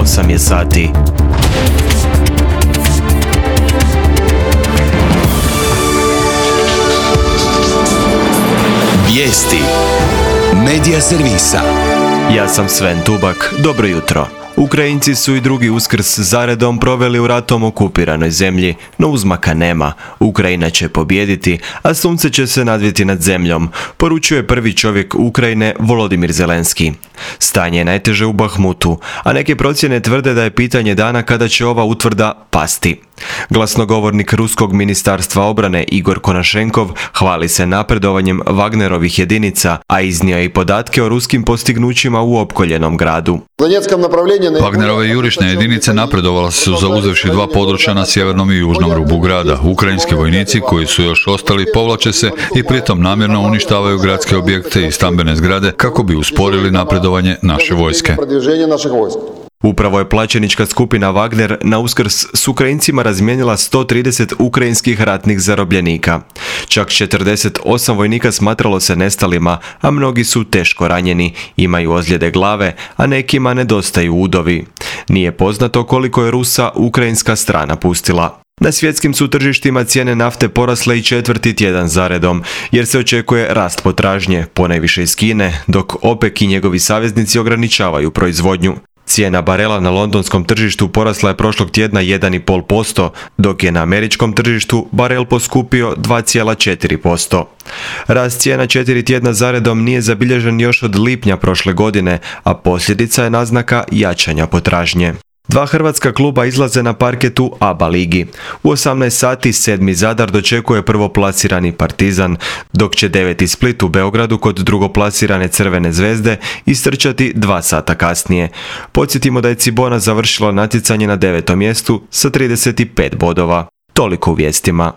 8 je sati. Vijesti Medija servisa. Ja sam Sven Tubak, dobro jutro. Ukrajinci su i drugi Uskrs zaredom proveli u ratom okupiranoj zemlji, no uzmaka nema. Ukrajina će pobijediti, a sunce će se nadviti nad zemljom, poručuje prvi čovjek Ukrajine Volodimir Zelenski. Stanje je najteže u Bahmutu, a neke procjene tvrde da je pitanje dana kada će ova utvrda pasti. Glasnogovornik Ruskog ministarstva obrane Igor Konašenkov hvali se napredovanjem Wagnerovih jedinica, a iznio je i podatke o ruskim postignućima u opkoljenom gradu. Wagnerove jurišne jedinice napredovale su zauzevši 2 područja na sjevernom i južnom rubu grada. Ukrajinski vojnici koji su još ostali povlače se i pritom namjerno uništavaju gradske objekte i stambene zgrade kako bi usporili napredovanje naše vojske. Upravo je plaćenička skupina Wagner na Uskrs s Ukrajincima razmijenila 130 ukrajinskih ratnih zarobljenika. Čak 48 vojnika smatralo se nestalima, a mnogi su teško ranjeni, imaju ozljede glave, a nekima nedostaju udovi. Nije poznato koliko je Rusa ukrajinska strana pustila. Na svjetskim su tržištima cijene nafte porasle i 4. tjedan zaredom, jer se očekuje rast potražnje, ponajviše iz Kine, dok OPEC i njegovi saveznici ograničavaju proizvodnju. Cijena barela na londonskom tržištu porasla je prošlog tjedna 1,5%, dok je na američkom tržištu barel poskupio 2,4%. Rast cijena 4 tjedna zaredom nije zabilježen još od lipnja prošle godine, a posljedica je naznaka jačanja potražnje. 2 hrvatska kluba izlaze na parketu ABA ligi. U 18 sati 7. Zadar dočekuje prvoplasirani Partizan, dok će 9. Split u Beogradu kod drugoplasirane Crvene zvezde istrčati 2 sata kasnije. Podsjetimo da je Cibona završila natjecanje na 9. mjestu sa 35 bodova. Toliko u vijestima.